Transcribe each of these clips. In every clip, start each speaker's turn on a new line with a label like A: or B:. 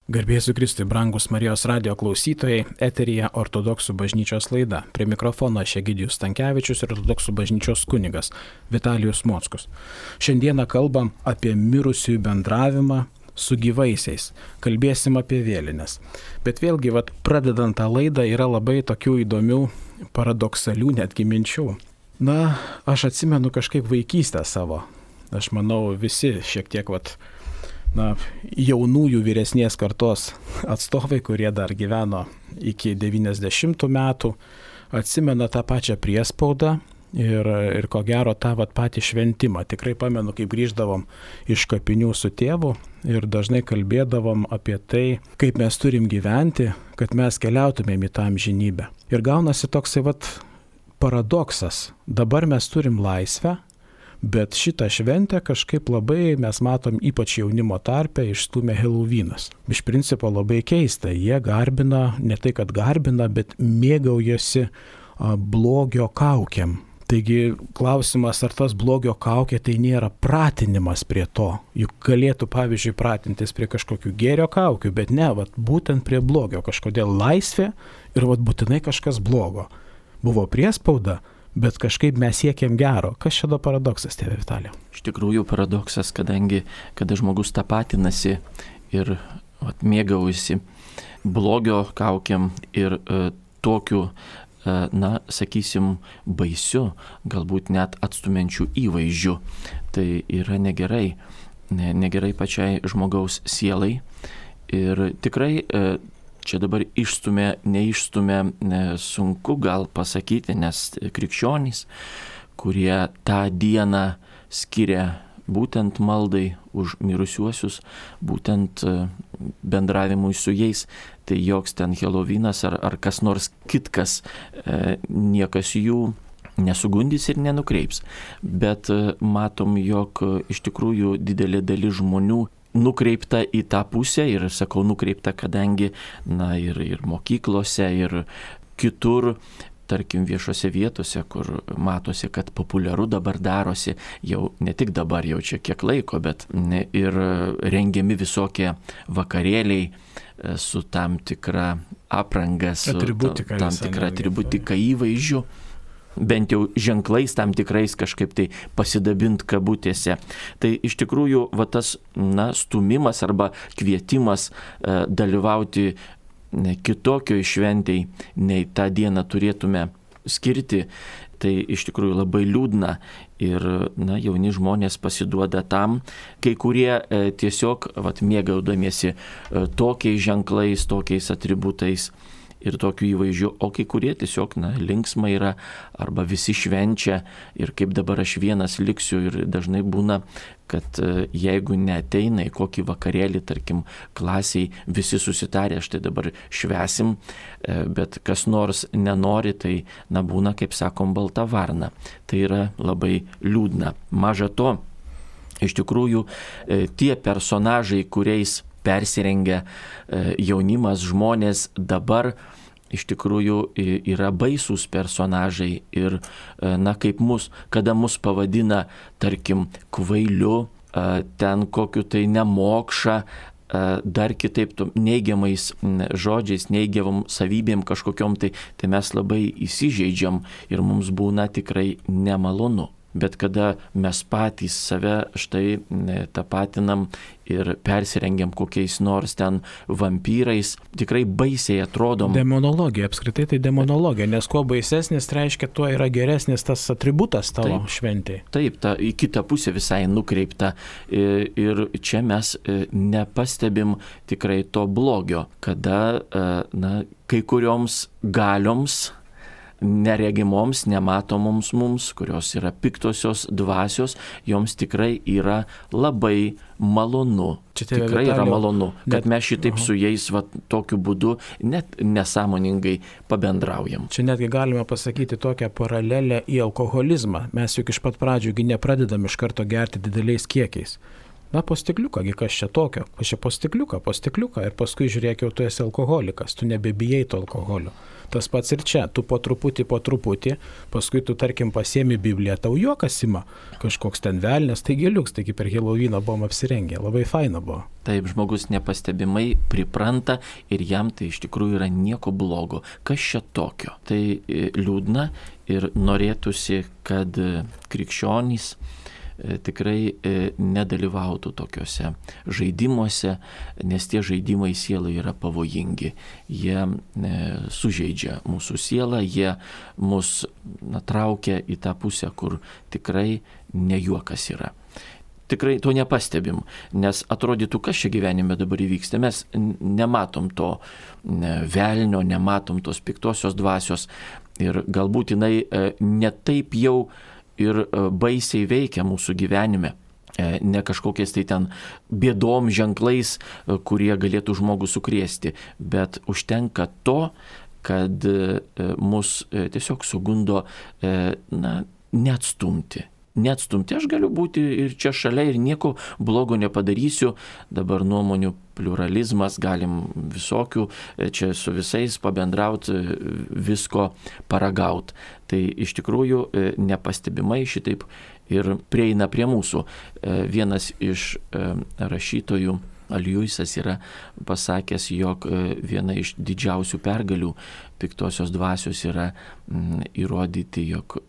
A: Garbėsiu Kristui, brangus Marijos radijo klausytojai, eteryje Ortodoksų bažnyčios laida. Prie mikrofono aš Egidijus Stankevičius ir Ortodoksų bažnyčios kunigas Vitalijus Mockus. Šiandieną kalbam apie mirusiųjų bendravimą su gyvaisiais. Kalbėsim apie vėlines. Bet vėlgi, pradedant tą laidą, yra labai tokių įdomių, paradoksalių netgi minčių. Aš atsimenu kažkaip vaikystę savo. Aš manau, visi šiek tiek jaunųjų vyresnės kartos atstovai, kurie dar gyveno iki 90 metų, atsimena tą pačią priespaudą ir ko gero tą patį šventimą. Tikrai pamenu, kaip grįždavom iš kapinių su tėvu ir dažnai kalbėdavom apie tai, kaip mes turim gyventi, kad mes keliautumėm į tą amžinybę. Ir gaunasi toksai paradoksas. Dabar mes turim laisvę, bet šitą šventę kažkaip labai mes matom, ypač jaunimo tarpe, išstūmė Helovynas. Iš principo labai keista, jie garbina, ne tai kad garbina, bet mėgaujasi blogio kaukėm. Taigi klausimas, ar tas blogio kaukė tai nėra pratinimas prie to. Juk galėtų, pavyzdžiui, pratintis prie kažkokių gėrio kaukių, bet ne, būtent prie blogio. Kažkodėl laisvė ir būtinai kažkas blogo. Buvo priespauda, bet kažkaip mes siekiam gero. Kas čia paradoksas, tėve Vitalija?
B: Iš tikrųjų paradoksas, kadangi kada žmogus tapatinasi ir mėgaujasi blogio kaukiam ir tokiu, sakysim, baisiu, galbūt net atstumiančiu įvaizdžiu, tai yra negerai. Negerai pačiai žmogaus sielai. Ir tikrai čia dabar neišstumė, sunku gal pasakyti, nes krikščionys, kurie tą dieną skiria būtent maldai už mirusiuosius, būtent bendravimui su jais, tai joks ten Helovynas ar kas nors kitkas, niekas jų nesugundys ir nenukreips. Bet matom, jog iš tikrųjų didelė dalis žmonių nukreipta į tą pusę ir sakau nukreipta, kadangi ir mokyklose, ir kitur, tarkim viešose vietose, kur matosi, kad populiaru dabar darosi, jau ne tik dabar, jau čia kiek laiko, bet ir rengiami visokie vakarėliai su tam tikra apranga, su tam tikra atributika įvaizdžiu. Bent jau ženklais tam tikrais kažkaip tai pasidabint kabutėse. Tai iš tikrųjų tas stumimas arba kvietimas dalyvauti kitokioj šventėj, nei tą dieną turėtume skirti, tai iš tikrųjų labai liūdna. Ir jauni žmonės pasiduoda tam, kai kurie tiesiog mėgaudamiesi tokiais ženklais, tokiais atributais ir tokiu įvaizdžiu, o kai kurie tiesiog linksma yra, arba visi švenčia ir kaip dabar aš vienas liksiu. Ir dažnai būna, kad jeigu neateina į kokį vakarėlį, tarkim, klasiai, visi susitarė, štai dabar švesim, bet kas nors nenori, tai būna, kaip sakom, balta varna. Tai yra labai liūdna. Maža to, iš tikrųjų, tie personažai, kuriais persirengia jaunimas, žmonės dabar, iš tikrųjų yra baisūs personažai ir, kaip kada mus pavadina, tarkim, kvailiu, ten kokiu tai nemokša, dar kitaip neigiamais žodžiais, neigiamom savybėm kažkokiom, tai mes labai įsižeidžiam ir mums būna tikrai nemalonu. Bet kada mes patys save štai tapatinam ir persirengiam kokiais nors ten vampyrais, tikrai baisiai atrodom.
A: Demonologija, apskritai tai demonologija, nes kuo baisesnis, reiškia, tuo yra geresnis tas atributas tavo šventėje.
B: Taip, į kitą pusę visai nukreipta. Ir čia mes nepastebim tikrai to blogio, kada kai kurioms galioms, neregimoms, nematomoms mums, kurios yra piktosios dvasios, joms tikrai yra labai malonu. Tikrai yra malonu, kad mes šitaip su jais tokiu būdu net nesąmoningai pabendraujam.
A: Čia netgi galime pasakyti tokią paralelę į alkoholizmą. Mes juk iš pat pradžių nepradedam iš karto gerti dideliais kiekiais. Po stikliuką, kas čia tokio? Kas čia po stikliuką, ir paskui žiūrėk, jau tu esi alkoholikas, tu nebebijai to alkoholio. Tas pats ir čia, tu po truputį, paskui tu, tarkim, pasiemi Bibliją, tau juokas ima, kažkoks ten velnės, taigi liuks, taigi per Helovyną buvom apsirengę, labai faina buvo.
B: Taip, žmogus nepastebimai pripranta ir jam tai iš tikrųjų yra nieko blogo. Kas čia tokio? Tai liūdna ir norėtųsi, kad krikščionys tikrai nedalyvautų tokiuose žaidimuose, nes tie žaidimai sielai yra pavojingi. Jie sužeidžia mūsų sielą, jie mus traukia į tą pusę, kur tikrai ne juokas yra. Tikrai to nepastebim, nes atrodytų, kas čia gyvenime dabar įvyksta. Mes nematom to velnio, nematom tos piktosios dvasios ir galbūt jinai ne taip jau ir baisiai veikia mūsų gyvenime. Ne kažkokiais tai ten bėdom ženklais, kurie galėtų žmogų sukrėsti, bet užtenka to, kad mus tiesiog sugundo neatstumti. Aš galiu būti ir čia šalia ir nieko blogo nepadarysiu. Dabar nuomonių pluralizmas, galim visokių, čia su visais pabendrauti, visko paragauti. Tai iš tikrųjų nepastebimai šitaip ir prieina prie mūsų. Vienas iš rašytojų, Aljuisas, yra pasakęs, jog viena iš didžiausių pergalių piktosios dvasios yra įrodyti, jog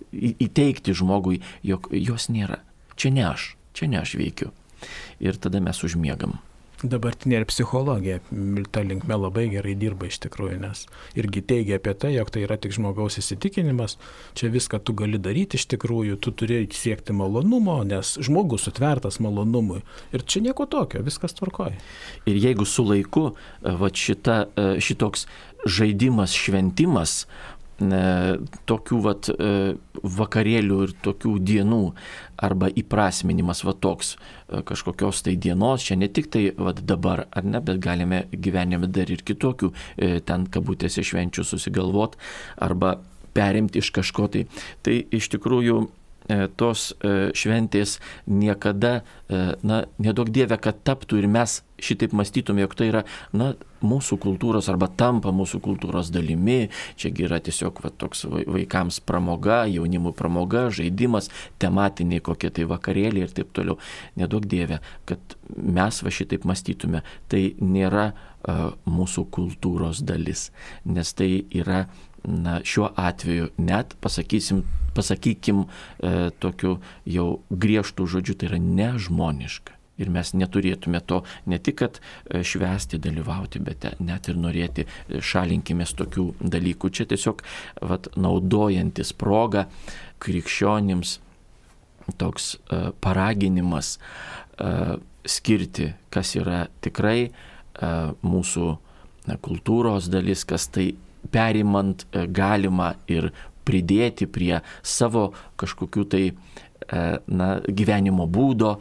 B: įteikti žmogui, jog jos nėra. Čia ne aš veikiu. Ir tada mes užmiegam.
A: Dabartinė ir psichologija ta linkme labai gerai dirba iš tikrųjų, nes irgi teigia apie tai, jog tai yra tik žmogaus įsitikinimas, čia viską tu gali daryti iš tikrųjų, tu turi siekti malonumo, nes žmogus sutvertas malonumui ir čia nieko tokio, viskas tvarkoja.
B: Ir jeigu su laiku šitoks žaidimas, šventimas, tokių vakarėlių ir tokių dienų arba įprasminimas toks kažkokios tai dienos, čia ne tik tai dabar, ar ne, bet galime gyvenime dar ir kitokių ten kabutėse švenčių susigalvot arba perimti iš kažko tai. Tai iš tikrųjų tos šventės niekada, neduok Dieve, kad taptų ir mes šitaip mąstytume, jog tai yra mūsų kultūros arba tampa mūsų kultūros dalimi. Čiagi yra tiesiog toks vaikams pramoga, jaunimui pramoga, žaidimas, tematiniai kokie tai vakarėliai ir taip toliau. Neduok Dieve, kad mes šitaip mąstytume. Tai nėra mūsų kultūros dalis, nes tai yra šiuo atveju net, pasakykim tokiu jau griežtų žodžiu, tai yra nežmoniška. Ir mes neturėtume to ne tik, kad švęsti, dalyvauti, bet net ir norėti, šalinkimės tokių dalykų. Čia tiesiog naudojantis progą krikščionims toks paraginimas skirti, kas yra tikrai mūsų kultūros dalis, kas tai perimant galima ir pridėti prie savo kažkokių tai gyvenimo būdo,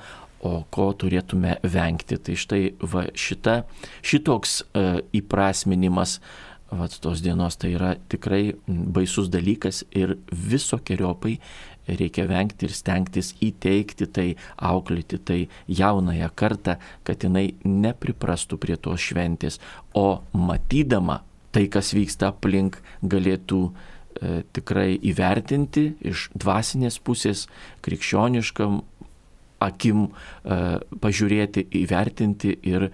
B: o ko turėtume vengti. Tai štai šitoks įprasminimas tos dienos tai yra tikrai baisus dalykas ir visokiojopai reikia vengti ir stengtis įteikti tai, auklėti tai jaunąją kartą, kad jinai nepriprastų prie tos šventės, o matydama tai, kas vyksta aplink, galėtų tikrai įvertinti iš dvasinės pusės, krikščioniškam akim pažiūrėti, įvertinti ir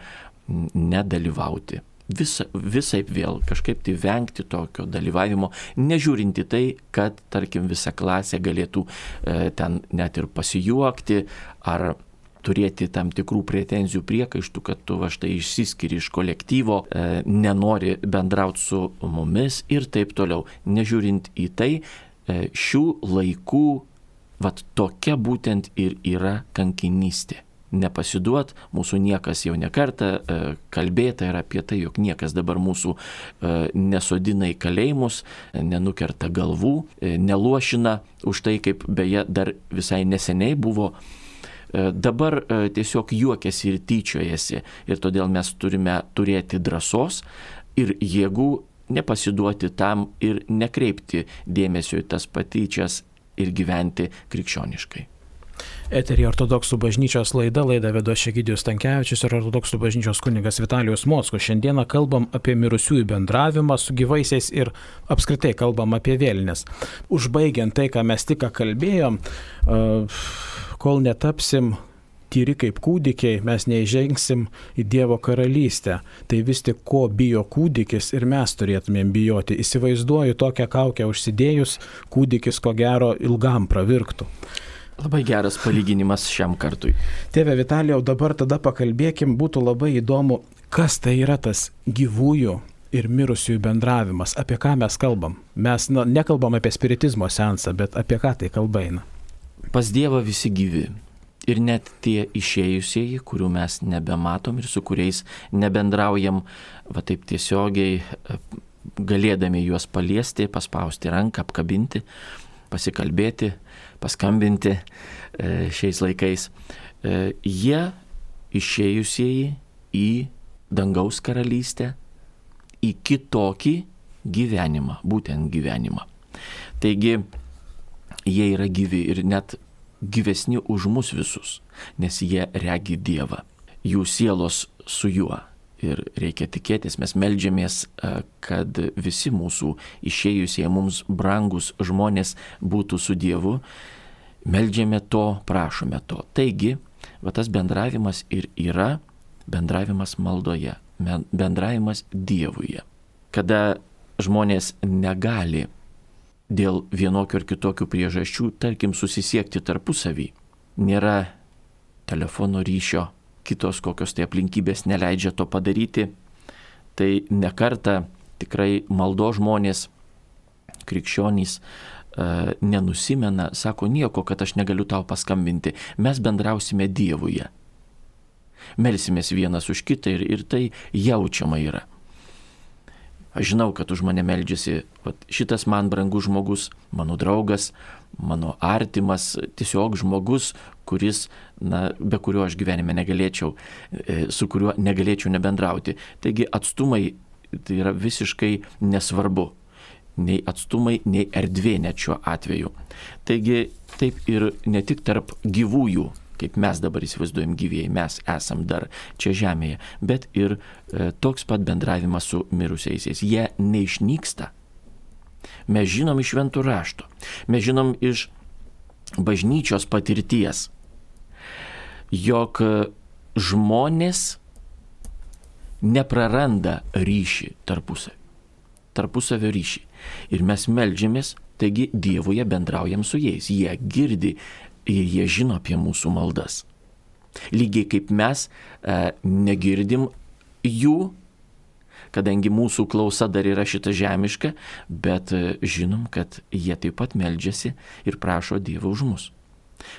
B: nedalyvauti. Visaip vėl kažkaip tai vengti tokio dalyvavimo, nežiūrinti tai, kad, tarkim, visa klasė galėtų ten net ir pasijuokti ar turėti tam tikrų pretenzijų, priekaištų, kad tu štai išsiskiri iš kolektyvo, nenori bendrauti su mumis ir taip toliau. Nežiūrint į tai, šių laikų tokia būtent ir yra kankinystė. Nepasiduot, mūsų niekas jau nekartą kalbėta yra apie tai, jog niekas dabar mūsų nesodina į kalėjimus, nenukerta galvų, neluošina už tai, kaip beje dar visai neseniai buvo. Dabar tiesiog juokiasi ir tyčiojasi ir todėl mes turime turėti drąsos ir jėgų nepasiduoti tam ir nekreipti dėmesio į tas patyčias ir gyventi krikščioniškai.
A: Eterį ortodoksų bažnyčios laidą vedo Egidijus Stankevičius ir ortodoksų bažnyčios kunigas Vitalijus Mockus. Šiandieną kalbam apie mirusiųjų bendravimą su gyvaisiais ir apskritai kalbam apie vėlines. Užbaigiant tai, ką mes tik kalbėjom, kol netapsim tyri kaip kūdikiai, mes neįžengsim į Dievo karalystę. Tai vis tik ko bijo kūdikis ir mes turėtumėm bijoti. Įsivaizduoju, tokią kaukę užsidėjus, kūdikis ko gero ilgam pravirktų.
B: Labai geras palyginimas šiam kartui.
A: Tėve Vitalijau, dabar tada pakalbėkim, būtų labai įdomu, kas tai yra tas gyvųjų ir mirusiųjų bendravimas, apie ką mes kalbam. Mes nekalbam apie spiritizmo seansą, bet apie ką tai kalba eina.
B: Pas Dievą visi gyvi. Ir net tie išėjusieji, kurių mes nebematom ir su kuriais nebendraujam, va taip tiesiogiai, galėdami juos paliesti, paspausti ranką, apkabinti, pasikalbėti, paskambinti šiais laikais. Jie išėjusieji į dangaus karalystę, į kitokį gyvenimą, būtent gyvenimą. Taigi, jie yra gyvi ir net gyvesni už mus visus, nes jie regi Dievą, jų sielos su juo. Ir reikia tikėtis, mes meldžiamės, kad visi mūsų išėjusie mums brangus žmonės būtų su Dievu. Meldžiame to, prašome to. Taigi, va tas bendravimas ir yra bendravimas maldoje, bendravimas Dievuje. Kada žmonės negali dėl vienokių ar kitokių priežasčių, tarkim, susisiekti tarpusavį, nėra telefono ryšio, kitos kokios tai aplinkybės neleidžia to padaryti, tai nekartą tikrai maldo žmonės, krikščionys, nenusimena, sako nieko, kad aš negaliu tau paskambinti, mes bendrausime Dievuje. Melsimės vienas už kitą ir tai jaučiama yra. Aš žinau, kad už mane meldžiasi šitas man brangus žmogus, mano draugas, mano artimas, tiesiog žmogus, kuris, be kurio aš gyvenime negalėčiau, su kuriuo negalėčiau nebendrauti. Taigi atstumai tai yra visiškai nesvarbu. Nei atstumai, nei erdvė net šiuo atveju. Taigi taip ir ne tik tarp gyvųjų, kaip mes dabar įsivaizduojam gyvieji, mes esam dar čia žemėje, bet ir toks pat bendravimas su mirusiaisiais. Jie neišnyksta. Mes žinom iš šventų rašto, mes žinom iš bažnyčios patirties, jog žmonės nepraranda ryšį tarpusavio ryšį. Ir mes meldžiamės, taigi Dievuje bendraujam su jais. Jie girdi ir jie žino apie mūsų maldas. Lygiai kaip mes negirdim jų, kadangi mūsų klausa dar yra šita žemiška, bet žinom, kad jie taip pat meldžiasi ir prašo Dievo už mus.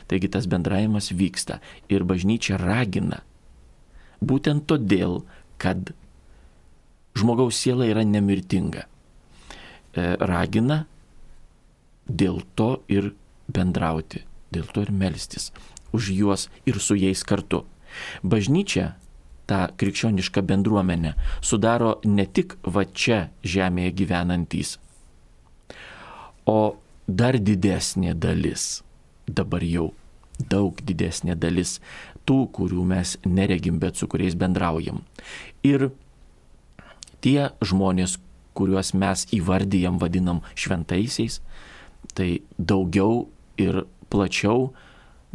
B: Taigi tas bendravimas vyksta ir bažnyčia ragina. Būtent todėl, kad žmogaus siela yra nemirtinga. Ragina dėl to ir bendrauti, dėl to ir melstis už juos ir su jais kartu. Bažnyčia, ta krikščioniška bendruomenė, sudaro ne tik va čia žemėje gyvenantys, o dar didesnė dalis, dabar jau daug didesnė dalis tų, kurių mes neregim, bet su kuriais bendraujam. Ir tie žmonės, kuriuos mes įvardyjam, vadinam šventaisiais, tai daugiau ir plačiau,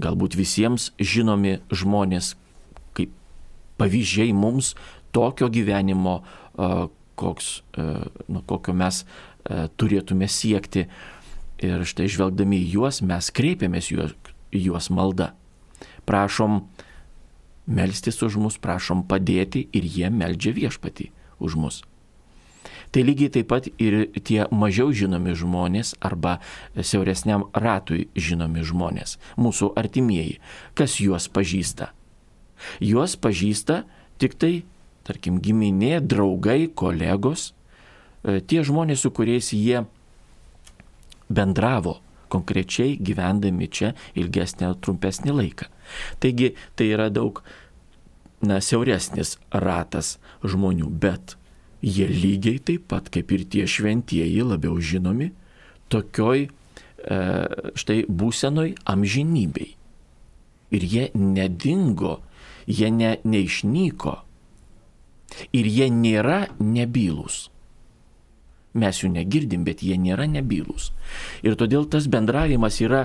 B: galbūt visiems žinomi žmonės, kaip pavyzdžiai mums tokio gyvenimo, kokio mes turėtume siekti. Ir štai žvelgdami į juos, mes kreipiamės juos malda. Prašom melstis už mus, prašom padėti ir jie meldžia Viešpatį už mus. Tai lygiai taip pat ir tie mažiau žinomi žmonės arba siauresniam ratui žinomi žmonės, mūsų artimieji. Kas juos pažįsta? Juos pažįsta tik tai, tarkim, giminė, draugai, kolegos, tie žmonės, su kuriais jie bendravo konkrečiai gyvendami čia ilgesnį ar trumpesnį laiką. Taigi tai yra daug siauresnis ratas žmonių, bet jie lygiai taip pat, kaip ir tie šventieji, labiau žinomi, tokioj štai būsenoj amžinybei. ir jie nedingo, jie neišnyko ir jie nėra nebylūs. Mes jų negirdim, bet jie nėra nebylūs. Ir todėl tas bendravimas yra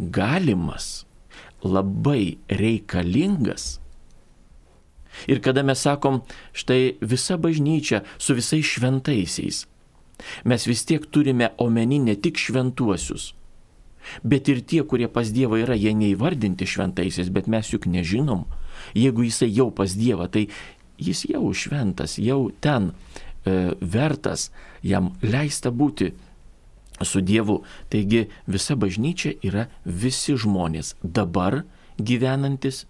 B: galimas, labai reikalingas. Ir kada mes sakom, štai visa bažnyčia su visais šventaisiais, mes vis tiek turime omeny ne tik šventuosius, bet ir tie, kurie pas Dievą yra, jie neįvardinti šventaisiais, bet mes juk nežinom. Jeigu jisai jau pas Dievą, tai jis jau šventas, jau ten vertas, jam leista būti su Dievu. Taigi visa bažnyčia yra visi žmonės dabar gyvenantys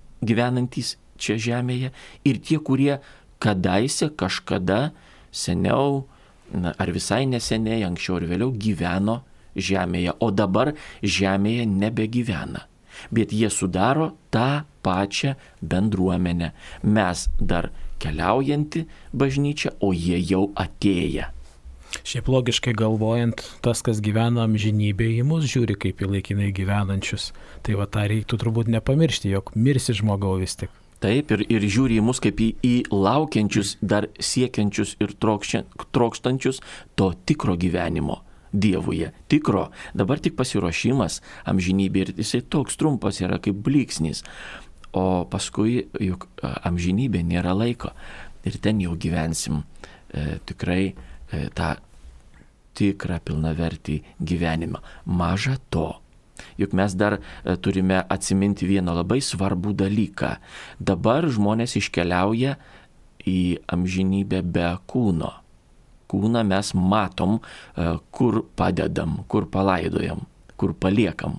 B: čia žemėje ir tie, kurie kadaise, kažkada, seniau, ar visai neseniai, anksčiau ir vėliau gyveno žemėje, o dabar žemėje nebegyvena. Bet jie sudaro tą pačią bendruomenę. Mes dar keliaujanti bažnyčia, o jie jau atėję.
A: Šiaip logiškai galvojant, tas, kas gyvena amžinybėje, į mus žiūri kaip į laikinai gyvenančius. Tai va tą reiktų turbūt nepamiršti, jog mirsi žmogau vis tik.
B: Taip, ir žiūri į mus kaip į laukiančius, dar siekiančius ir trokštančius to tikro gyvenimo Dievuje. Tikro. Dabar tik pasiruošimas amžinybė ir jisai toks trumpas yra kaip blyksnis. O paskui juk amžinybė nėra laiko. Ir ten jau gyvensim tikrai tą tikrą pilnavertį gyvenimą. Maža to. Juk mes dar turime atsiminti vieną labai svarbų dalyką. Dabar žmonės iškeliauja į amžinybę be kūno. Kūną mes matom, kur padedam, kur palaidojam, kur paliekam.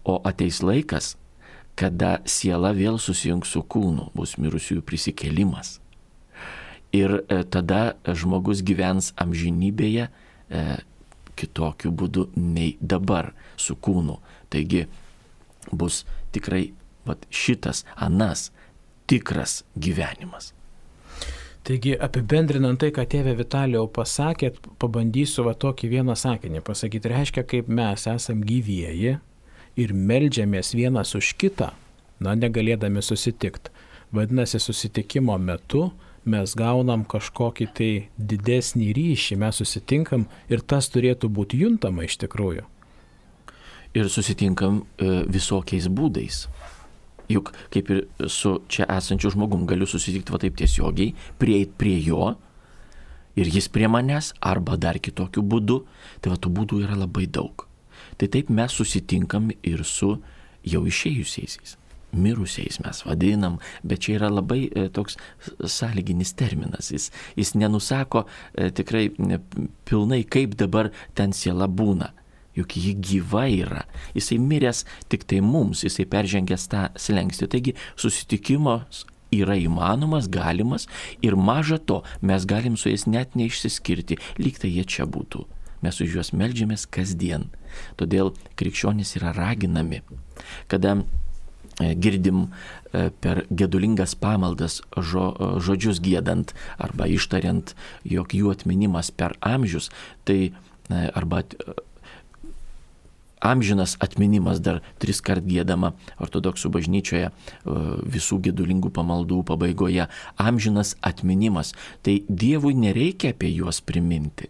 B: O ateis laikas, kada siela vėl susijungs su kūnu, bus mirusiųjų prisikėlimas. Ir tada žmogus gyvens amžinybėje kitokiu būdu nei dabar su kūnu. Taigi bus tikrai šitas, anas tikras gyvenimas.
A: Taigi apibendrinant tai, ką tėvė Vitalijau pasakėt, pabandysiu tokį vieną sakinį pasakyti. Reiškia, kaip mes esam gyvieji ir meldžiamės vienas už kitą, negalėdami susitikti. Vadinasi, susitikimo metu mes gaunam kažkokį tai didesnį ryšį, mes susitinkam ir tas turėtų būti juntama iš tikrųjų.
B: Ir susitinkam visokiais būdais. Juk kaip ir su čia esančiu žmogum galiu susitikti taip tiesiogiai, prieiti prie jo ir jis prie manęs arba dar kitokiu būdu. Tai tų būdų yra labai daug. Tai taip mes susitinkam ir su jau išėjusiais. Mirusiais mes vadinam, bet čia yra labai toks sąlyginis terminas. Jis nenusako tikrai pilnai, kaip dabar ten siela būna. Juk ji gyva yra. Jisai miręs tik tai mums, jisai peržengęs tą slenkstį. Taigi susitikimas yra įmanomas, galimas ir maža to, mes galim su jais net neišsiskirti, lyg tai jie čia būtų. Mes už juos meldžiamės kasdien. Todėl krikščionys yra raginami, kada girdim per gedulingas pamaldas žodžius giedant arba ištariant, jog jų atminimas per amžius, tai arba amžinas atminimas dar 3 kart giedama ortodoksų bažnyčioje visų gedulingų pamaldų pabaigoje. Amžinas atminimas. Tai Dievui nereikia apie juos priminti.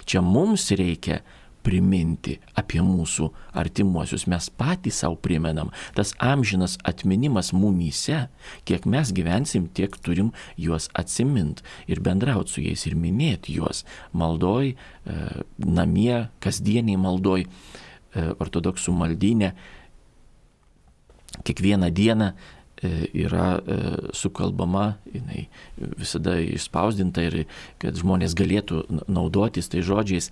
B: Čia mums reikia priminti apie mūsų artimuosius. Mes patys savo primenam. Tas amžinas atminimas mumyse, kiek mes gyvensim, tiek turim juos atsimint ir bendrauti su jais ir minėti juos maldoj, namie, kasdieniai maldoj, ortodoksų maldyne. Kiekvieną dieną yra sukalbama, jinai visada išspausdinta ir kad žmonės galėtų naudotis tai žodžiais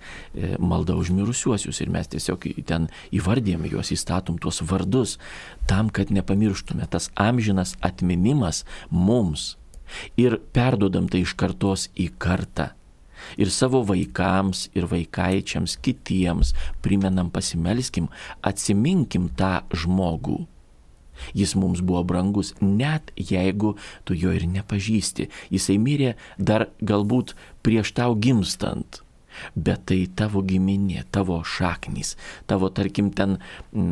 B: malda už mirusiuosius ir mes tiesiog ten įvardėme juos, įstatom tuos vardus tam, kad nepamirštume. Tas amžinas atminimas mums ir perduodam tai iš kartos į kartą. Ir savo vaikams ir vaikaičiams, kitiems primenam, pasimelskim, atsiminkim tą žmogų. Jis mums buvo brangus, net jeigu tu jo ir nepažįsti. Jisai mirė dar galbūt prieš tau gimstant. bet tai tavo giminė, tavo šaknys, tavo, tarkim, ten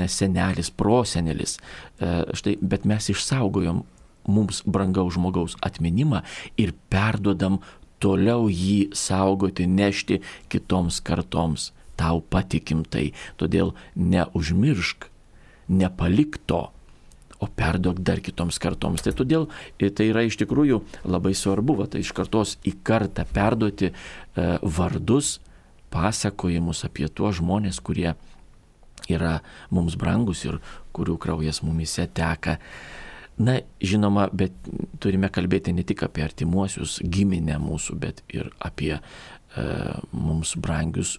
B: senelis, prosenelis. Štai, bet mes išsaugojom mums brangaus žmogaus atminimą ir perduodam toliau jį saugoti, nešti kitoms kartoms. Tau patikim tai, todėl neužmiršk, nepalik to, o perduok dar kitoms kartoms. Tai todėl tai yra iš tikrųjų labai svarbu, tai iš kartos į kartą perduoti vardus, pasakojimus apie tuos žmonės, kurie yra mums brangus ir kurių kraujas mumise teka. Na, žinoma, bet turime kalbėti ne tik apie artimuosius, giminę mūsų, bet ir apie mums brangius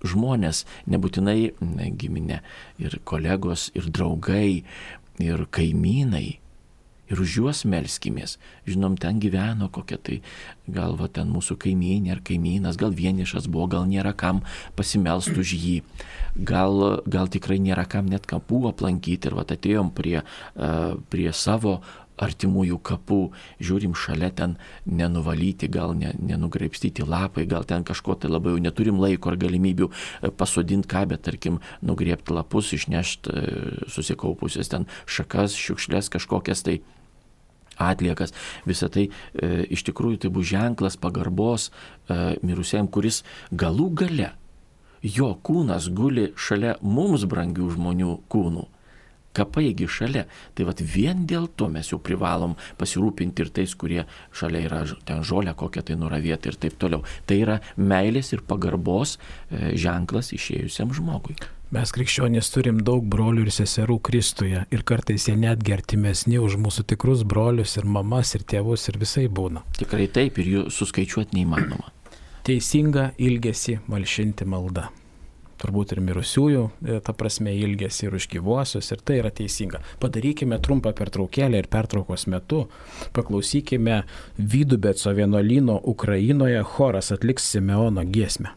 B: žmonės, nebūtinai giminė, ir kolegos, ir draugai, ir kaimynai, ir už juos melskimės. Žinom, ten gyveno kokia tai, gal va ten mūsų kaimynė ar kaimynas, gal vienišas buvo, gal nėra kam pasimelst už jį, gal tikrai nėra kam net kapų aplankyti ir va atėjom prie savo artimųjų kapų, žiūrim šalia ten nenuvalyti, gal nenugraibstyti lapai, gal ten kažko tai labai jau neturim laiko ar galimybių pasodinti ką, bet tarkim nugriebti lapus, išnešti susikaupusias ten šakas, šiukšlės kažkokias tai atliekas. Visą tai iš tikrųjų tai bus ženklas pagarbos mirusiam, kuris galų gale jo kūnas guli šalia mums brangių žmonių kūnų. Kapaigi šalia. Tai vat vien dėl to mes jau privalom pasirūpinti ir tais, kurie šalia yra ten žolę kokią tai nuravėti ir taip toliau. Tai yra meilės ir pagarbos ženklas išėjusiam žmogui.
A: Mes krikščionys turim daug brolių ir seserų Kristuje ir kartais jie netgi artimesni už mūsų tikrus brolius ir mamas ir tėvus ir visai būna.
B: Tikrai taip, ir jų suskaičiuoti neįmanoma.
A: Teisinga ilgesį malšinti malda. Turbūt ir mirusiųjų, ta prasme, ilgesį ir už gyvuosius, ir tai yra teisinga. Padarykime trumpą pertraukėlę ir pertraukos metu paklausykime Vidubeco vienuolyno Ukrainoje choras atliks Simeono giesmę.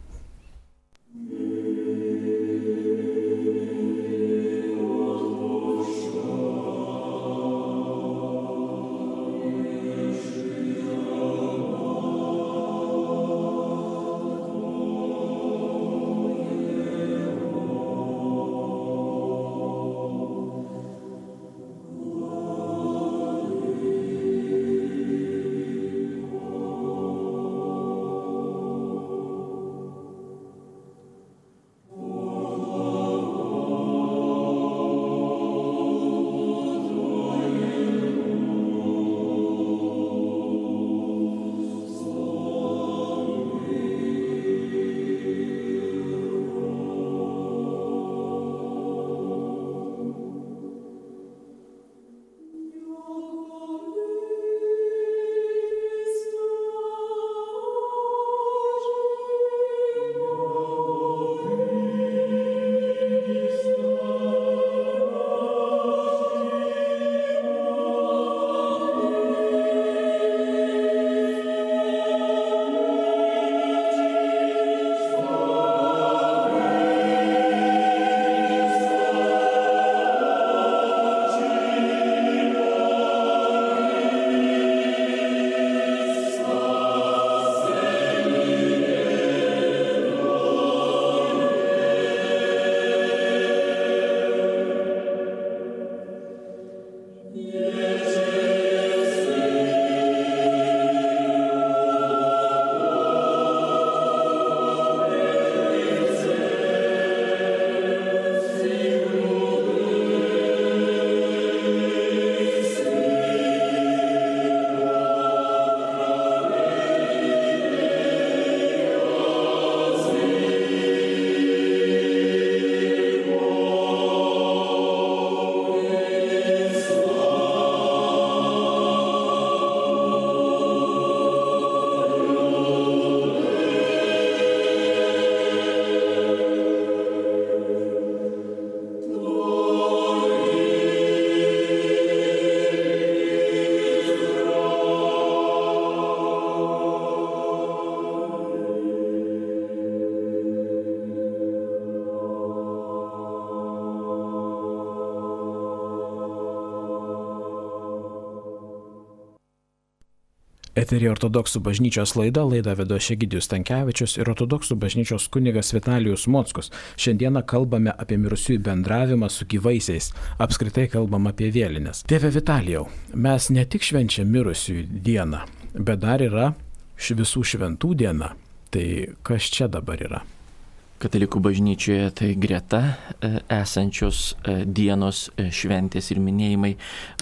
A: Eterija ortodoksų bažnyčios laidą vedo Egidijus Stankevičius ir ortodoksų bažnyčios kunigas Vitalijus Mockus. Šiandieną kalbame apie mirusiųjų bendravimą su gyvaisiais, apskritai kalbam apie vėlines. Tėve Vitalijau, mes ne tik švenčiam mirusiųjų dieną, bet dar yra visų šventų diena. Tai kas čia dabar yra?
B: Katalikų bažnyčioje tai greta esančios dienos šventės ir minėjimai,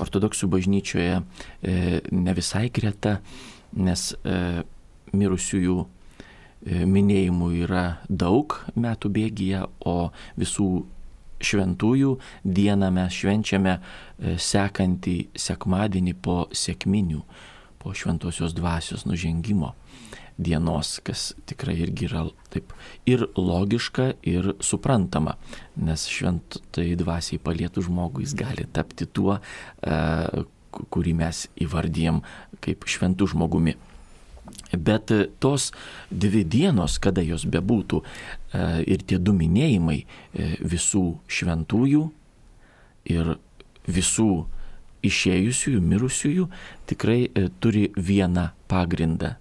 B: ortodoksų bažnyčioje ne visai greta, nes mirusiųjų minėjimų yra daug metų bėgyje, o visų šventųjų dieną mes švenčiame sekantį sekmadienį po sekminių, po šventosios dvasios nužengimo dienos, kas tikrai irgi yra taip ir logiška, ir suprantama, nes šventai dvasiai palietų žmogų jis gali tapti tuo, kurį mes įvardijam kaip šventų žmogumi. Bet tos dvi dienos, kada jos bebūtų, ir tie du minėjimai visų šventųjų ir visų išėjusiųjų, mirusiųjų, tikrai turi vieną pagrindą.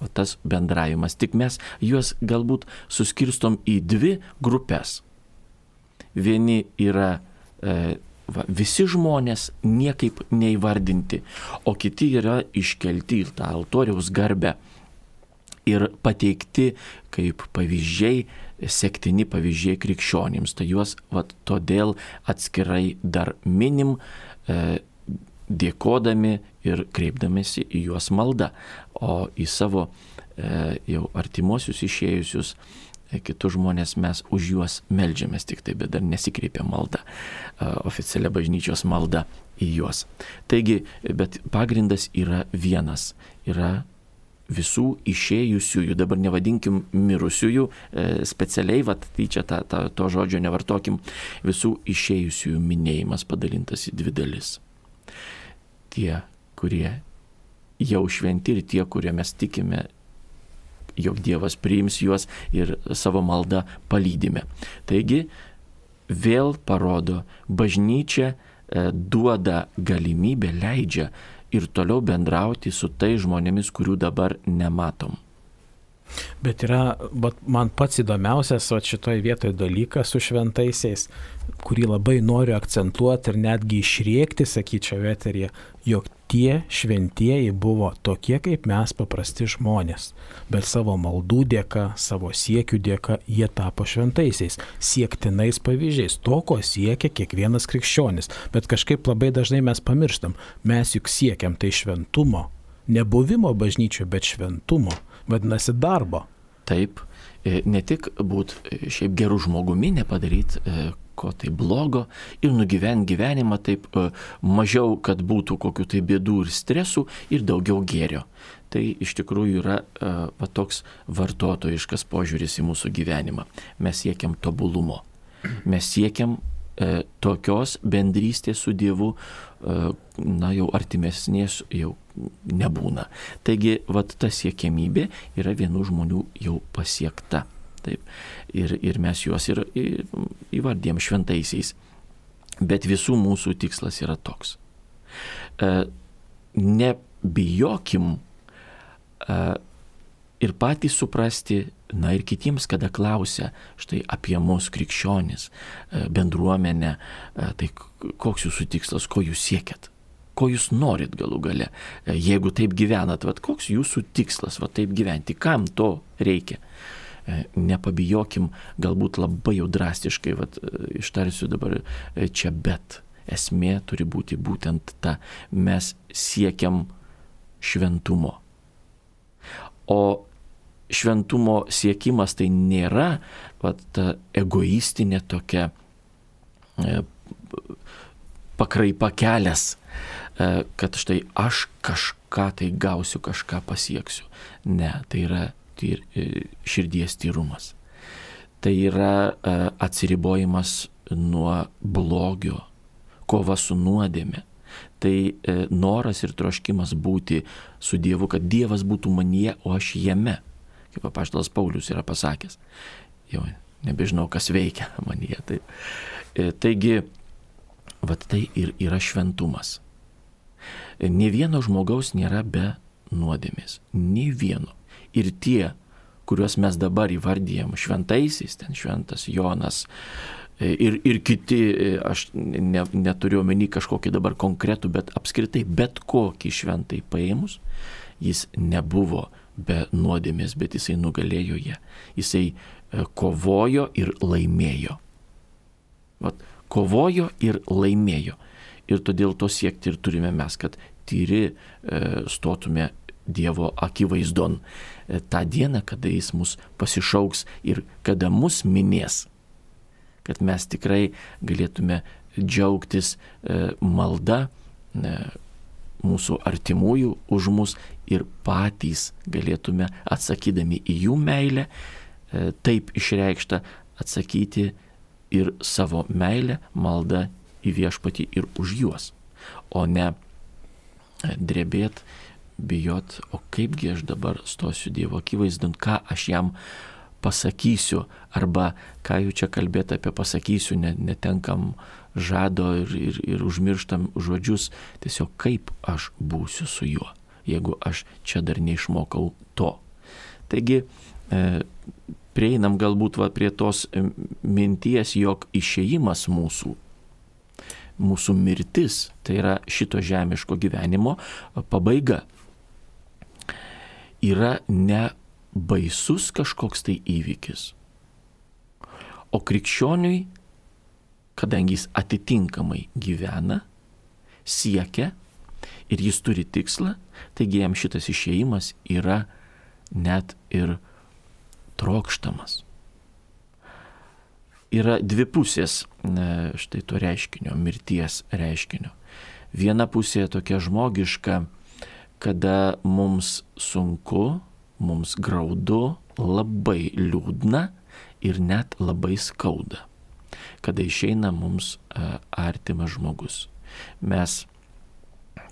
B: O tas bendravimas. Tik mes juos galbūt suskirstom į dvi grupės. Vieni yra visi žmonės niekaip neįvardinti, o kiti yra iškelti į tą altoriaus garbę ir pateikti kaip pavyzdžiai, sektini pavyzdžiai krikščionims. Tai juos todėl atskirai dar minim, dėkodami ir kreipdamėsi į juos maldą, o į savo jau artimuosius išėjusius kitus žmonės mes už juos meldžiamės tik tai, bet dar nesikreipia malda, oficialia bažnyčios malda į juos. Taigi, bet pagrindas yra vienas, yra visų išėjusiųjų, dabar nevadinkim mirusiųjų, specialiai, tai čia to žodžio nevartokim, visų išėjusiųjų minėjimas padalintas į dvi dalis. Tie, kurie jau šventi ir tie, kurie mes tikime, jog Dievas priims juos ir savo maldą palydime. Taigi, vėl parodo, bažnyčia duoda galimybę, leidžia ir toliau bendrauti su tai žmonėmis, kurių dabar nematom.
A: Bet yra, man pats įdomiausias šitoje vietoje dalykas su šventaisiais, kurį labai noriu akcentuoti ir netgi išrėkti, sakyčiau, eteryje, jog tie šventieji buvo tokie kaip mes paprasti žmonės, bet savo maldų dėka, savo siekių dėka jie tapo šventaisiais, siektinais pavyzdžiais, to, ko siekia kiekvienas krikščionis. Bet kažkaip labai dažnai mes pamirštam, mes juk siekiam tai šventumo, nebuvimo bažnyčioje, bet šventumo. Vadinasi, darbo.
B: Taip, ne tik būti šiaip gerų žmogumi, nepadaryti ko tai blogo ir nugyventi gyvenimą taip mažiau, kad būtų kokių tai bėdų ir stresų ir daugiau gėrio. Tai iš tikrųjų yra toks vartotojiškas požiūris į mūsų gyvenimą. Mes siekiam tobulumo. Mes siekiam tokios bendrystės su Dievu, jau artimesnės jau nebūna. Taigi, ta siekiamybė yra vienų žmonių jau pasiekta. Taip. Ir mes juos ir įvardėm šventaisiais. Bet visų mūsų tikslas yra toks. Nebijokim ir patys suprasti, ir kitiems, kada klausia štai apie mus krikščionis, bendruomenę, tai koks jūsų tikslas, ko jūs siekiat, ko jūs norit galų gale, jeigu taip gyvenat, koks jūsų tikslas, taip gyventi, kam to reikia. Nepabijokim, galbūt labai jau drastiškai, ištarsiu dabar čia, bet esmė turi būti būtent ta, mes siekiam šventumo. O šventumo siekimas tai nėra ta egoistinė tokia pakraipa kelias, kad štai aš kažką tai gausiu, kažką pasieksiu. Ne, tai yra širdies tyrumas. Tai yra atsiribojimas nuo blogio, kova su nuodėme. Tai noras ir troškimas būti su Dievu, kad Dievas būtų manyje, o aš jame. Kaip apaštalas Paulius yra pasakęs. Jau nebežinau, kas veikia manyje. Taigi, tai ir yra šventumas. Nė vieno žmogaus nėra be nuodėmės. Nei vieno. Ir tie, kuriuos mes dabar įvardyjam šventaisiais, ten šventas Jonas ir kiti, aš neturiu omeny kažkokį dabar konkretų, bet apskritai bet kokį šventai paėmus, jis nebuvo be nuodėmės, bet jisai nugalėjo ją. Jisai kovojo ir laimėjo. Vat, kovojo ir laimėjo. Ir todėl to siekti ir turime mes, kad tyri stotume Dievo akivaizdon tą dieną, kada jis mus pasišauks ir kada mus minės, kad mes tikrai galėtume džiaugtis malda mūsų artimųjų už mus ir patys galėtume, atsakydami į jų meilę, taip išreikštą, atsakyti ir savo meilę, maldą į viešpatį ir už juos, o ne drebėt, bijot, o kaipgi aš dabar stosiu Dievo akivaizdon, ką aš jam pasakysiu, arba ką jau čia kalbėti apie pasakysiu, netenkam žado ir užmirštam žodžius, tiesiog kaip aš būsiu su juo, jeigu aš čia dar neišmokau to. Taigi, prieinam galbūt prie tos minties, jog išėjimas mūsų mirtis, tai yra šito žemiško gyvenimo pabaiga, yra ne baisus kažkoks tai įvykis, o krikščioniui, kadangi jis atitinkamai gyvena, siekia ir jis turi tikslą, taigi jam šitas išėjimas yra net ir trokštamas. Yra dvi pusės štai to reiškinio, mirties reiškinio. Viena pusė tokia žmogiška, kada mums sunku, mums graudu, labai liūdna ir net labai skauda, kada išeina mums artimas žmogus. Mes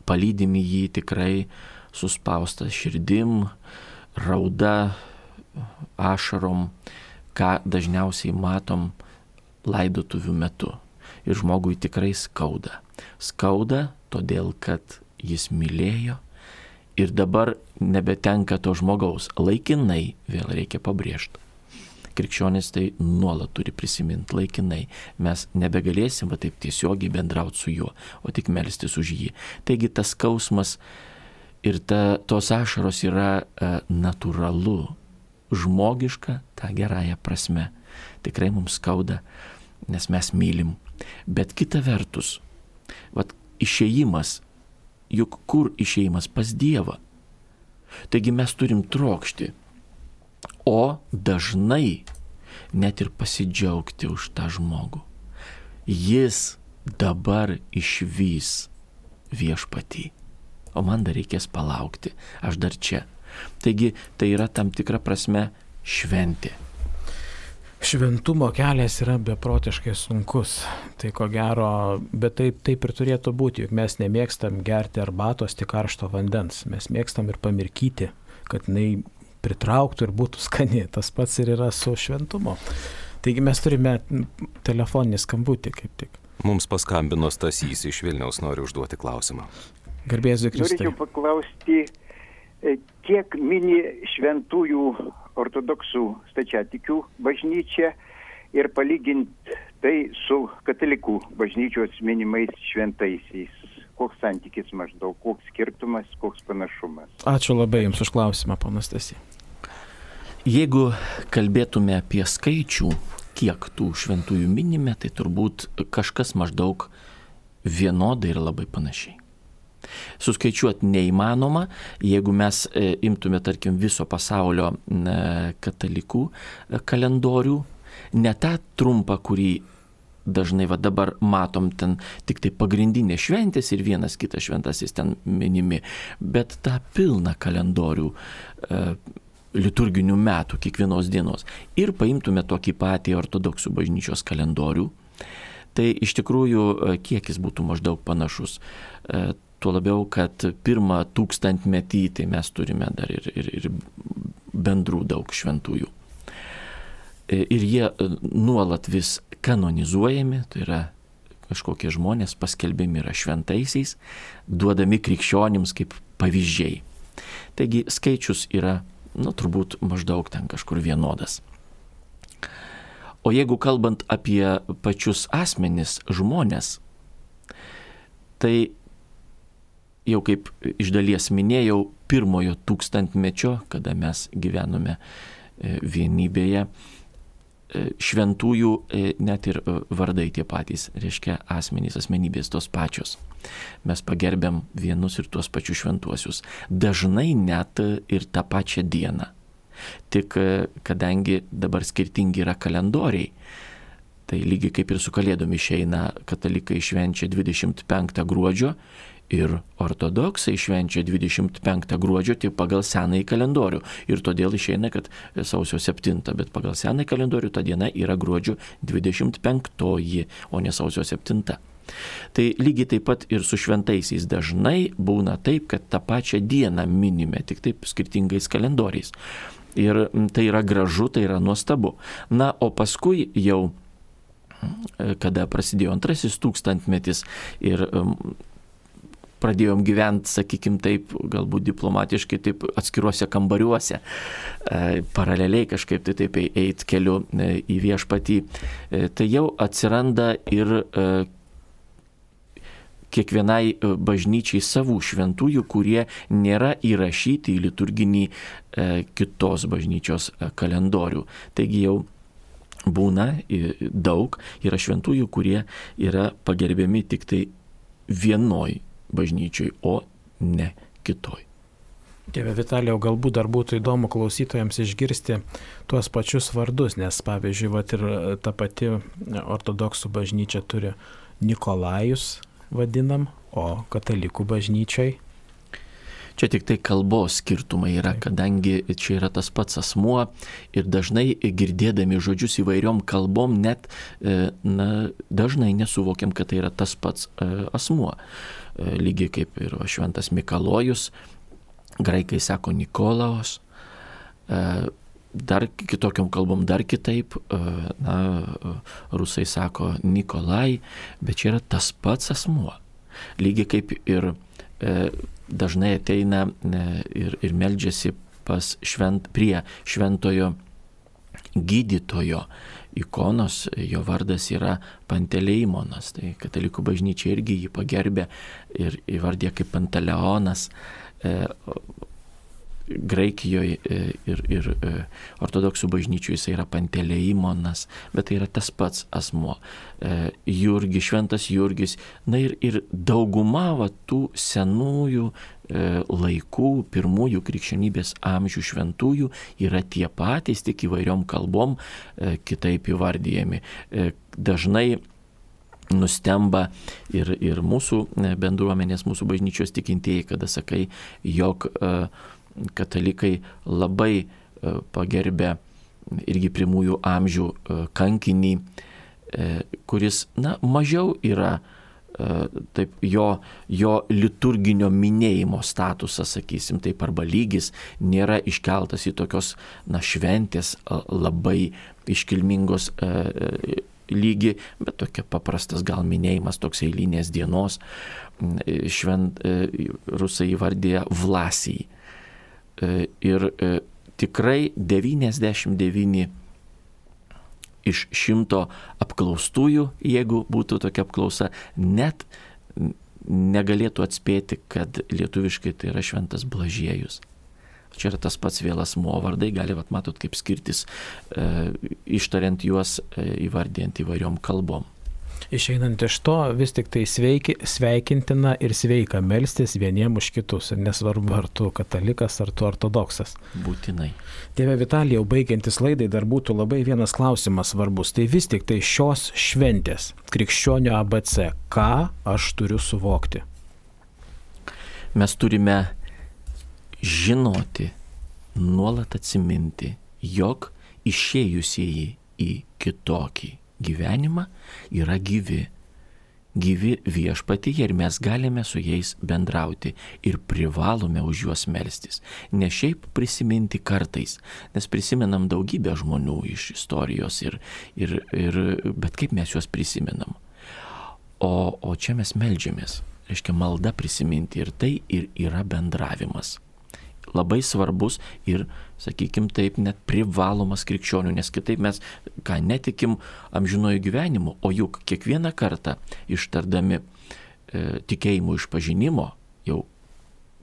B: palydim jį tikrai suspaustą širdim, rauda, ašarom, ką dažniausiai matom laidotuvių metu. Ir žmogui tikrai skauda. Skauda todėl, kad jis mylėjo ir dabar nebetenka to žmogaus. Laikinai, vėl reikia pabrėžti. Krikščionis tai nuolat turi prisiminti laikinai. Mes nebegalėsim taip tiesiogiai bendrauti su juo, o tik melstis už jį. Taigi tas skausmas ir tos ašaros yra natūralu, žmogiška, tą gerąją prasme. Tikrai mums skauda, nes mes mylim. Bet kita vertus, išėjimas, juk kur išėjimas? Pas Dievą. Taigi mes turim trokšti, o dažnai net ir pasidžiaugti už tą žmogų. Jis dabar išvys viešpatį, o man dar reikės palaukti, aš dar čia. Taigi tai yra tam tikra prasme šventė.
A: Šventumo kelias yra beprotiškai sunkus, tai ko gero, bet taip ir turėtų būti, juk mes nemėgstam gerti arbatos tik karšto vandens, mes mėgstam ir pamirkyti, kad jinai pritrauktų ir būtų skani, tas pats ir yra su šventumo. Taigi mes turime telefoninį skambutį kaip tik.
C: Mums paskambino Stasys iš Vilniaus, noriu užduoti klausimą.
A: Garbė Jėzui Kristui.
D: Norėčiau paklausti, kiek mini šventųjų ortodoksų stačiatikių bažnyčia ir palyginti tai su katalikų bažnyčios minimais šventaisiais. Koks santykis maždaug, koks skirtumas, koks panašumas.
A: Ačiū labai Jums už klausimą, ponas Stasy.
B: Jeigu kalbėtume apie skaičių, kiek tų šventųjų minime, tai turbūt kažkas maždaug vienodai ir labai panašiai. Suskaičiuoti neįmanoma, jeigu mes imtume, tarkim, viso pasaulio katalikų kalendorių, ne tą trumpą, kurį dažnai dabar matom ten tik tai pagrindinės šventės ir vienas kitas šventasis ten minimi, bet tą pilną kalendorių liturginių metų, kiekvienos dienos. Ir paimtume tokį patį ortodoksų bažnyčios kalendorių, tai iš tikrųjų kiekis būtų maždaug panašus. Tuo labiau, kad pirmą 1000-metį tai mes turime dar ir bendrų daug šventųjų. Ir jie nuolat vis kanonizuojami, tai yra kažkokie žmonės paskelbiami yra šventaisiais, duodami krikščionims kaip pavyzdžiai. Taigi skaičius yra, turbūt maždaug ten kažkur vienodas. O jeigu kalbant apie pačius asmenis, žmonės, tai jau kaip iš dalies minėjau, pirmojo tūkstantmečio, kada mes gyvenome vienybėje, šventųjų net ir vardai tie patys, reiškia asmenys, asmenybės tos pačios. Mes pagerbiam vienus ir tuos pačius šventuosius. Dažnai net ir tą pačią dieną. Tik kadangi dabar skirtingi yra kalendoriai, tai lygiai kaip ir su Kalėdom išeina, katalikai švenčia 25 gruodžio ir ortodoksai švenčia 25 gruodžio tik pagal senąjį kalendorių. Ir todėl išeina, kad sausio 7, bet pagal senąjį kalendorių ta diena yra gruodžio 25, o ne sausio 7. Tai lygiai taip pat ir su šventaisiais dažnai būna taip, kad tą pačią dieną minime, tik taip skirtingais kalendoriais. Ir tai yra gražu, tai yra nuostabu. Na, o paskui jau, kada prasidėjo antrasis tūkstantmetis ir pradėjom gyventi, sakykim taip, galbūt diplomatiškai, taip atskiruose kambariuose, paraleliai kažkaip tai taip eit keliu į viešpatį, tai jau atsiranda ir kiekvienai bažnyčiai savų šventųjų, kurie nėra įrašyti į liturginį kitos bažnyčios kalendorių. Taigi jau būna daug, yra šventųjų, kurie yra pagerbiami tik tai vienoj bažnyčiai, o ne kitoj.
A: Tėve Vitalijau, galbūt dar būtų įdomu klausytojams išgirsti tuos pačius vardus, nes pavyzdžiui, ir ta pati ortodoksų bažnyčia turi Nikolajus vadinam, o katalikų bažnyčiai.
B: Čia tik tai kalbos skirtumai yra, kadangi čia yra tas pats asmuo ir dažnai girdėdami žodžius įvairiom kalbom net dažnai nesuvokiam, kad tai yra tas pats asmuo. Lygiai kaip ir šventas Mikalojus, graikai sako Nikolaos, dar kitokiom kalbom dar kitaip, rusai sako Nikolai, bet čia yra tas pats asmuo. Lygiai kaip ir dažnai ateina ir meldžiasi prie šventojo gydytojo ikonos, jo vardas yra Panteleimonas, tai katalikų bažnyčia irgi jį pagerbė ir įvardė kaip Panteleonas. Graikijoje ir ortodoksų bažnyčių jis yra Panteleimonas, bet tai yra tas pats asmuo. Jurgis, šventas Jurgis, ir dauguma tų senųjų laikų, pirmųjų krikščionybės amžių šventųjų yra tie patys, tik įvairiom kalbom kitaip įvardyjami. Dažnai nustemba ir mūsų bendruomenės, mūsų bažnyčios tikintieji, kada sakai, jog katalikai labai pagerbė irgi pirmųjų amžių kankinį, kuris, mažiau yra taip, jo liturginio minėjimo statusas, sakysim, taip, arba lygis nėra iškeltas į tokios, šventės labai iškilmingos lygį, bet tokia paprastas gal minėjimas, toks eilinės dienos. Rusai įvardėja Vlasijai. Ir tikrai 99 iš 100 apklaustųjų, jeigu būtų tokia apklausa, net negalėtų atspėti, kad lietuviškai tai yra šventas Blažiejus. Čia yra tas pats vėl asmuo vardai, matot, kaip skirtis, ištariant juos, įvardijant įvairiom kalbom.
A: Išeinant iš to, vis tik tai sveikintina ir sveika melstis vieniem už kitus, ir nesvarbu, ar tu katalikas, ar tu ortodoksas.
B: Būtinai.
A: Tėve Vitalijau, baigiantis laidai, dar būtų labai vienas klausimas svarbus. Tai vis tik tai šios šventės, krikščionio ABC, ką aš turiu suvokti?
B: Mes turime žinoti, nuolat atsiminti, jog išėjusieji į kitokį gyvenimą yra gyvi viešpatyje ir mes galime su jais bendrauti ir privalome už juos melstis. Ne šiaip prisiminti kartais, nes prisimenam daugybę žmonių iš istorijos, bet kaip mes juos prisimenam. O čia mes meldžiamės, reiškia malda prisiminti ir tai ir yra bendravimas. labai svarbus ir, sakykime taip, net privalomas krikščionių, nes kitaip mes netikim amžinuoju gyvenimu, o juk kiekvieną kartą ištardami tikėjimo išpažinimo, jau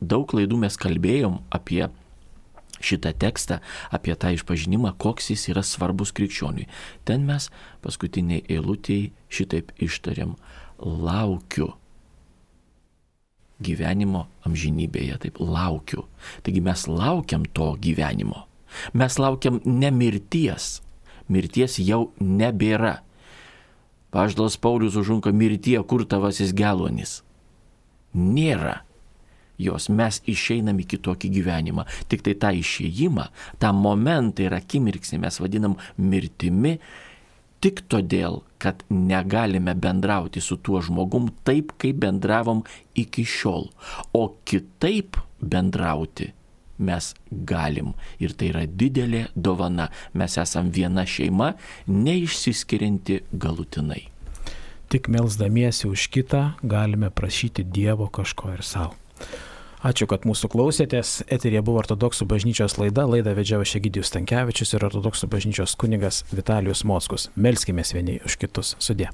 B: daug laidų mes kalbėjom apie šitą tekstą, apie tą išpažinimą, koks jis yra svarbus krikščioniui. Ten mes paskutiniai eilutėje šitaip ištariam: laukiu gyvenimo amžinybėje, taip, laukiu. Taigi mes laukiam to gyvenimo. Mes laukiam ne mirties. Mirties jau nebėra. Apaštalas Paulius užunka: mirtie, kur tavasis geluonis? Nėra jos, mes išeinam į kitokį gyvenimą. Tik tai tą išėjimą, tą momentą ir akimirksnį mes vadinam mirtimi, tik todėl, kad negalime bendrauti su tuo žmogum taip, kaip bendravom iki šiol. O kitaip bendrauti mes galim. Ir tai yra didelė dovana. Mes esam viena šeima, neišsiskirianti galutinai.
A: Tik melsdamiesi už kitą galime prašyti Dievo kažko ir savo. Ačiū, kad mūsų klausėtės. Eteryje buvo Ortodoksų bažnyčios laida. Laidą vedžiau aš Egidijus Stankevičius ir Ortodoksų bažnyčios kunigas Vitalijus Mockus. Melskimės vieni už kitus. Sudie.